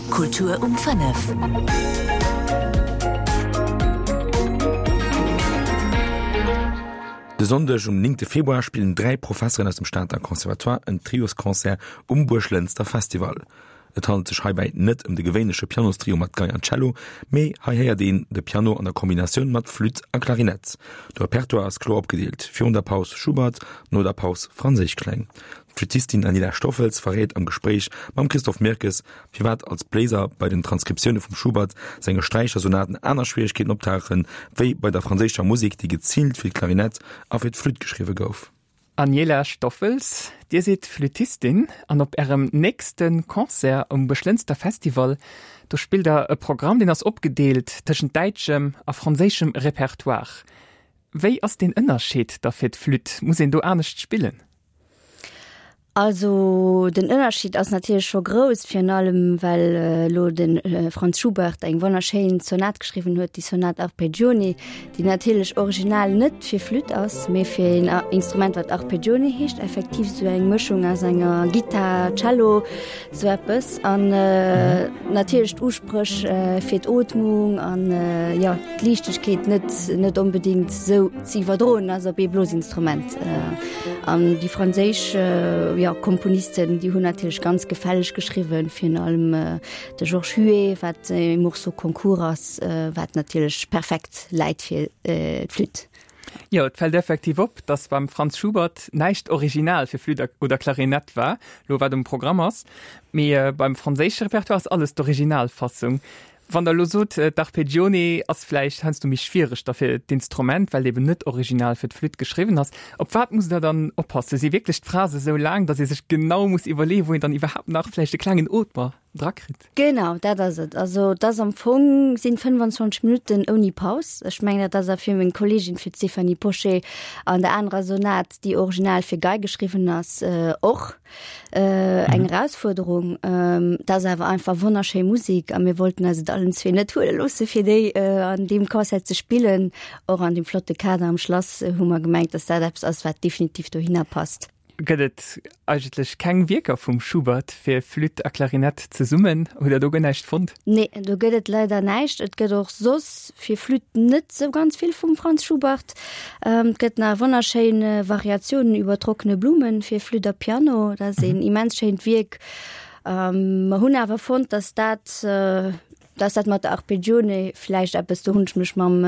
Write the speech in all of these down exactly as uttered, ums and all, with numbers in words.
Kultur um fënnef. De Sonndeg um néngte Februar spillen dräi Professeren aus dem Stater Conservatoire en Triosconcert um Buerglënster Festival. Et handelt sech heibäi net ëm de gewéinleche Pianostrio mat Gei an Cello, mee hei héiert een de Piano an der Kombinatioun mat Flütt a Klarinett. De Repertoire ass kloer opgedeelt, virun der Paus Schubert, no der Paus franséisch Kläng. D'Flüttistin Aniela Stoffels verréit am Gespréich mam Christophe Mirkes, firwat als Bléiser bei den Transkriptioune vum Schubert senge Sträichersonaten aner Schwieregkeeten optauchen, wéi bei der franséischer Musek, déi geziilt fir d'Klarinett a fir d'Flütt geschriwwe gouf. Aniela Stoffels, Dir sidd Flüttistin an op Ärem nächste Concert um Buerglënster Festival, do spillt Der e Programm, deen ass opgedeelt tëschent däitschem a franséischem Repertoire. Wéi ass deen Ënnerscheed da fir d'Flütt? Muss een do anescht spillen? Also den Ënnerscheed ass natierlech scho grouss, virun allem well elo de Franz Schubert eng wonnerschéin Sonat geschriwwen huet, déi Sonate Arpeggione, déi natierlech original net fir Flütt ass, mee fir een Instrument wat Arpeggione heescht, effektiv esou eng Mëschung aus enger Gittar, Cello, esou eppes. An natierlech d'Uspréch fir d'Ootmung an jo d'Liichtegkeet net net onbedéngt esou ze iwwerdroen ass op ee Blosinstrument. An déi franséisch jo, Komponisten, déi hunn natierlech ganz gefälleg geschriwwen, virun allem de Georges Huet, wat e Morceau Concours ass, wat natierlech perfekt läit fir d'Flütt. Jo, et fält effektiv op, datt beim Franz Schubert näischt original fir Flütt oder Klarinett war, lo wat um Programm ass, mee beim franséische Repertoire ass alles d'Originalfassung. Wann Der elo sot, d'Arpeggione ass vläicht heiansdo méi schwiereg da fir d'Instrument, well et eben net original fir d'Flütt geschriwwen ass, op wat musst Der dann oppassen? Si wierklech d'Phrase sou laang, datt ee sech genau muss iwwerleeën, wou een dann iwwerhaapt nach vläicht e klengen Ootmer drakritt? Genau, dat ass et. Also et ass am Fong sinn fënnwanzwanzeg Minutten ouni Paus. Ech mengen, dat ass a fir meng Kolleegin, fir d'Stéphanie Pochet an der anerer Sonat, déi original fir Gei geschriwwen ass, och. Eng Erausfuerderung. Et ass awer einfach wonnerschéi Musek a mir wollten eis et allen zwee net huele loosse fir déi an deem Concert ze spillen. Och an deem flotte Kader am Schlass hu mer gemengt, dass dat eppes ass, wat definitiv dohinner passt. Gëtt et eigentlech keng Wierker vum Schubert fir Flütt a Klarinett zesummen? Hutt Der do guer näischt fonnt? Nee, do gëtt et leider näischt. Et gëtt och soss fir Flütt net sou ganz vill vum Franz Schubert. Et gëtt nach wonnerschéin Variationen über trockene Blumen fir Flütt a Piano. Dat ass een immens schéint Wierk. Mer hunn awer fonnt, dass dat, dass dat mat der Arpeggione vläicht eppes, do hunn ech mech mam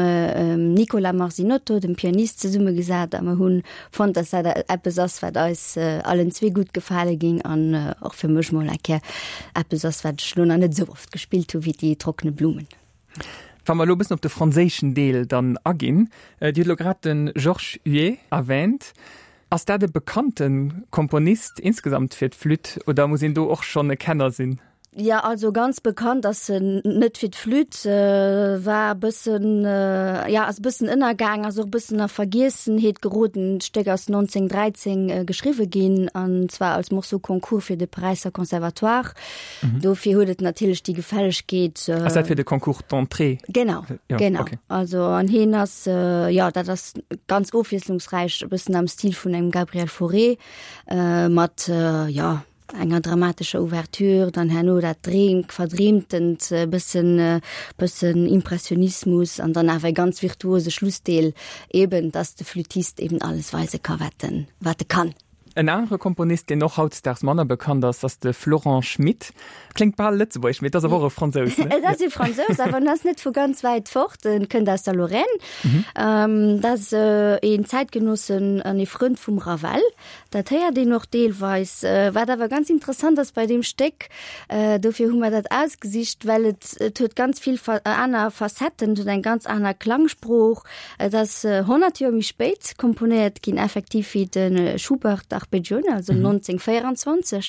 Nicola Marzinotto, dem Pianist, zesummegesat a mer hunn fonnt, dass dat eppes ass, wat eis allen zwee gutt gefale géing an och fir mech mol eng Kéier eppes ass, wat ech elo nach net esou oft gespillt hu wéi déi Trockene Blumen. Wa mer elo e bëssen op de franséischen Deel dann aginn, Dir hutt elo grad de Georges Huet erwähnt. Ass dat e bekannte Komponist insgesamt fir d'Flütt oder muss een do och schonn e Kenner sinn? Jo, also ganz bekannt ass en net fir d'Flütt, war e bëssen, jo, ass e bëssen ënnergaang, ass och e bëssen a Vergiessenheet geroden. D'Stéck ass nonzénhunnertdräizéng geschriwwe ginn, an zwar als Morceau concours fir de Paräisser Conservatoire. Dofir huet et natierlech déi Gefällegkeet. Ass dat fir de Concours d'entrée? Genau, ja, genau. Okay. Also an hien ass, jo, dat ass ganz ofwiesslungsräich, e bëssen am Stil vun engem Gabriel Fauré, mat, jo, enger dramatescher Ouverture, dann herno dat dreem, verdreemtent, e bëssen, bëssen Impressionismus an dann awer e ganz virtuose Schlussdeel, eben dass de Flüttist eben alles weise ka wat en, wat e kann. En anere Komponist, deen och hautdesdaags manner bekannt ass, ass de Florent Schmitt. Kléngt bal lëtzebuergesch, mee et ass awer och e Fransous, ne? Et ass e Fransous, awer en ass net vu ganz wäit fort. En kënnt aus der Lorraine. Dat ass een Zäitgenossen an ee Frënd vum Ravel. Dat héiert een och deelweis. Wat awer ganz interessant ass bei deem Stéck, dofir hu mer dat ausgesicht, well et, et huet ganz vill aner Facetten, et huet eng ganz aner Klangsprooch. Et ass honnert Joer méi spéit komponéiert ginn, effektiv wéi de Schubert Arpeggione, also nonzénhunnertvéierenzwanzeg.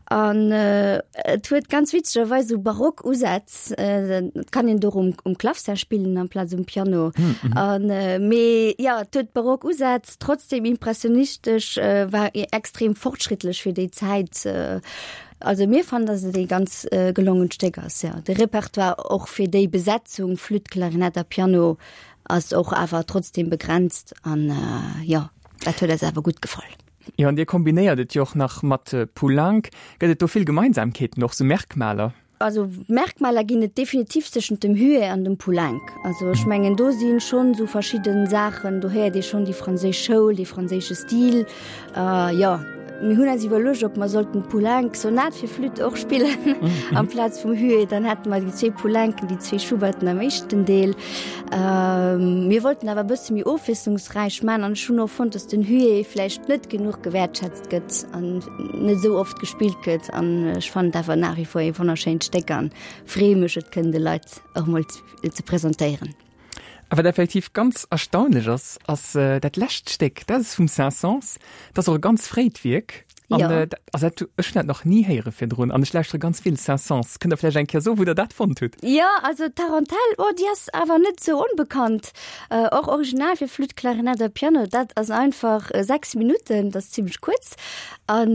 An et huet ganz witzegerweis esou barock Usätz. Et kann een do um, um Clavecin spillen amplaz um Piano. An mee jo, et huet barock Usätz, trotzdem impressionistesch, war extrem fortschrittlech fir déi Zäit. Also mir fannen, dass et ee ganz gelongent Stéck ass, jo. De Repertoire och fir déi Besetzung, Flütt, Klarinett a Piano, ass och awer trotzdem begrenzt an jo, dat huet eis awer gutt gefall. Jo, an Dir kombinéiert et jo och nach mat Poulenc. Gëtt et do vill Gemeinsamkeeten, och sou Merkmaler? Also Merkmaler ginn et definitiv tëschent dem Huet an dem Poulenc. Also ech mengen do sinn schonn sou verschidden Saachen, do héiert ee schonn déi franséisch Schoul, dee franséische Stil. Äh, jo, mir hunn eis iwwerluecht, ob mer sollten d'Poulenc Sonat fir Flütt och spillen amplaz vum Huet, dann hätte mer déi zwee Poulencen, déi zwee Schuberten am éischten Deel. Äh, mir wollten awer e bësse méi ofwiesslungsräich man an ech hunn och fonnt, dass den Huet vläicht net genuch gewäertschätzt gëtt an net esou oft gespillt gëtt an ech fannen et awer nach wie vor ee wonnerschéint Stéck an freeë mech et kënnen de Leit och mol ze presentéieren. A wat effektiv ganz erstaunlech ass, ass dat lescht Stéck, dat ass vum Saint-Saëns, dat ass och e ganz fréit Wierk an Jo. also dat, ech hunn dat nach ni héiere virdrun an ech lauschtere ganz vill Saint-Saëns. Kënnt Der vläicht eng Kéier soen, wou Der dat fonnt hutt? Jo, also d'Tarantelle, oh déi ass awer net sou onbekannt. Och original fir Flütt, Klarinett a Piano, dat ass einfach sechs Minutten, dat ass zimmlech kuerz. An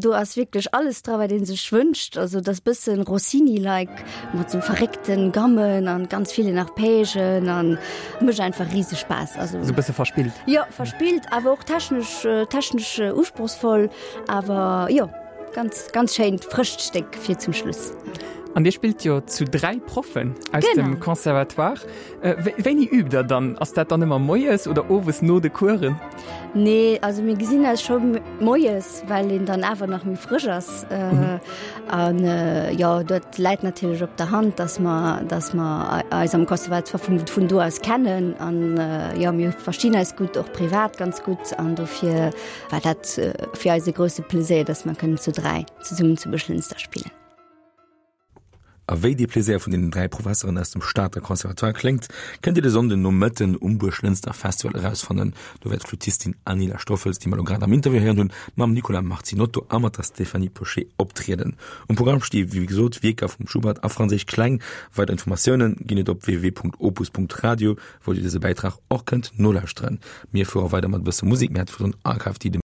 do ass wierklech alles dra wat een sech wënscht, also dat ass bëssen Rossini-like mat sou verréckten Gammen an ganz villen Arpègen an mécht einfach rieseg Spaass. Also sou bësse verspillt. Jo, verspillt, awer och technesch technesch usprochsvoll, awer jo ganz ganz schéint frëscht Stéck fir zum Schluss. An Dir spillt jo zu dräi Proffen aus dem Conservatoire. Wéini übt Der dann? Ass dat dann ëmmer moies oder owes no de Coursen? Nee, also mir gesinn eis scho moies, well een dann awer nach méi frësch ass. An jo, dat läit natierlech op der Hand, dass mer, dass mer eis am Conservatoire vun, vun do aus kennen. An jo, mir verstinn eis gutt, och privat ganz gutt. An dofir war dat fir eis e grousse Plaisir, dass mer kënnen zu dräi zesummen zu Buerglënster spillen. A wéi dee Pläséier vun deenen dräi Professeren aus dem Stater Conservatoire kléngt, kënnt Dir de Sonnden Nomëtten um Buerglënster Festival erausfannen. Do wäert d'Flüttistin Anila Stoffels, déi mer elo grad am Interview héieren hunn, mam Nicolas Marzinotto a mat der Stéphanie Pochet optrieden. Um Programm sti wéi gesot Wierker vum Schubert a franséisch Kläng. Weider Informatioune ginn et op www.opus.radio, wou Dir dëse Bäitrag och kënnt nolauschteren. Mir fuere weider mat e bësse Musek, mir hat virdrun Archive, déi de.